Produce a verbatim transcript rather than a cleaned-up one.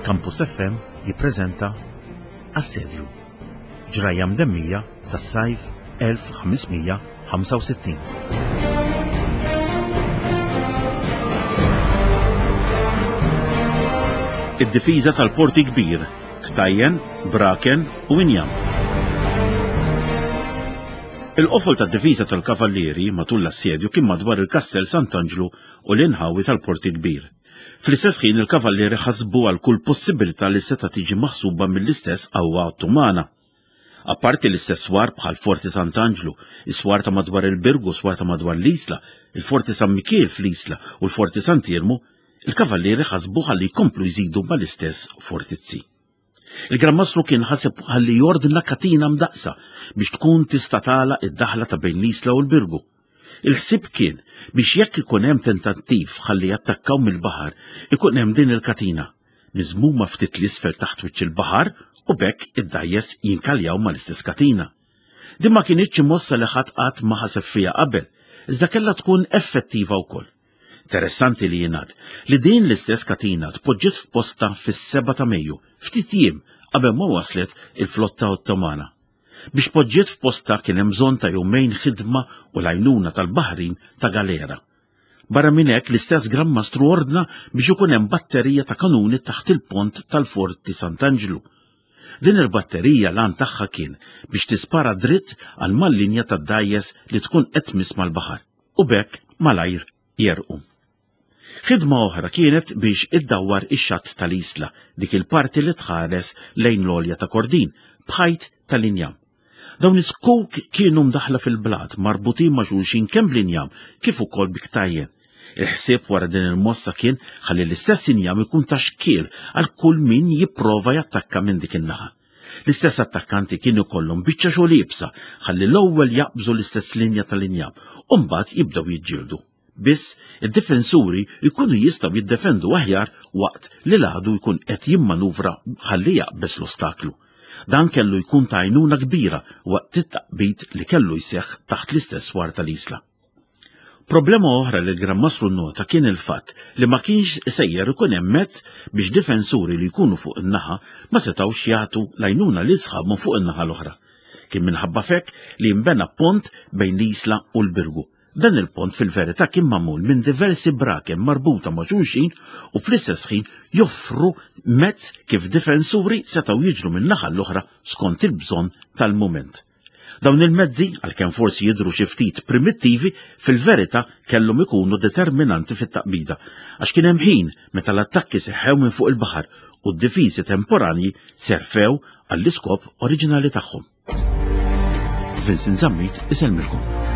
Campus F M jippreżenta Assedju, ġrajja mdemmija tas-sajf elf ħames mija ħamsa u sittin. Id-difiża tal-Porti Kbir, Ktajjen, Braken u Injam. Il-qofol tad-difiża tal-Kavallieri matul l-assedju kien madwar il-Kastell Sant'Anġlu u l-inħawi tal-Porti Kbir. Fl-istess ħin il-Kavallieri ħasbu għal kull possibilità li seta' tiġi maħsuba mill-istess qawwa Ottomana. Apparti l-istess swar bħal Forti Sant'Anġlu, is-swar ta' madwar il-Birgu, swar ta' madwar l-Isla, il-Forti San Mikiel fl-Isla u l-Forti Sant'Iermu, il-Kavallieri ħasbu ħalli jkomplu jżidu mal-istess fortizzi. Il-Gran Mastru kien ħaseb ħalli jordna katina mdaqsa biex tkun tista' tagħlaq id-daħla ta' bejn l-Isla u l-Birgu. Il-ħsieb kien biex jekk ikun hemm tentattiv ħalli jattakkaw mill-baħar, ikun hemm din il-katina, miżmuma ftit l-isfel taħt wiċċ il-baħar u b'hekk id-dgħajjes jinkaljaw mal-istess katina. Din ma kinitx mossa li ħadd qatt ma ħaseb fiha qabel, iżda kellha tkun effettiva wkoll. Interessanti li jingħad li din l-istess katina tpoġġiet f'posta fis-seba' ta' Mejju, ftit jiem qabel ma waslet il-flotta Ottomana. Biex poġġiet f'posta kien hemm bżonn ta' jumejn ħidma u l-għajnuna tal-baħrin ta' galera. Barra minn hekk l-istess Gran Mastru ordna biex ikun hemm batterija ta' kanuni taħt il-pont tal-Forti Sant'Anġlu. Din il-batterija l-għan tagħha kien biex tispara dritt għal mal-linja tad-dgħajjes li tkun qed tmiss mal-baħar u b'hekk malajr jerqu. Ħidma oħra kienet biex iddawwar ix-xatt tal-Isla, dik il-parti li tħares lejn l-għolja ta' Kordin, b'ħajt tal-injam. Dawn is-skuk kienu mdaħla fil-blat, marbutin ma' xulxin kemm bl-injam kif ukoll bi ktajjen. Il-ħsieb wara din il-mossa kien ħalli l-istess injam ikun ta' xkiel għal kull min jipprova jattakka minn dik in-naħa. L-istess attakkanti kienu jkollhom biċċa xogħol iebsa ħalli l-ewwel jaqbżu l-istess linja tal-injam u mbagħad jibdew jiġġieldu. Biss id-difensuri jkunu jistgħu jiddefendu aħjar waqt li l-għadu jkun qed jimmanuvra ħalli jaqbeż l-ostaklu. Dan kellu jkun ta' għajnuna kbira waqt it-taqbid li kellu jseħħ taħt l-istess swar tal-Isla. Problema oħra li l-Gran Mastru nnota kien il-fatt li ma kienx sejjer ikun hemm mezz biex difensuri li jkunu fuq in-naħa ma setgħux jagħtu l-għajnuna li sħabhom fuq in-naħa l-oħra. Kien minħabba f'hekk li jinbena pont bejn l-Isla u l-Birgu. Dan il-pont fil-verità kien magħmul minn diversi braken marbuta ma' xulxin u fl-istess ħin joffru mezz kif difensuri setgħu jiġru minn naħa l-oħra skont il-bżonn tal-mument. Dawn il-mezzi, għalkemm forsi jidhru xi ftit primittivi, fil-verità kellhom ikunu determinanti fit-taqbida, għax kien hemm ħin meta l-attakki seħħew minn fuq il-baħar u d-difiżi temporanji serfew għall-iskop oriġinali tagħhom. Vincent Zammit isellmilkom.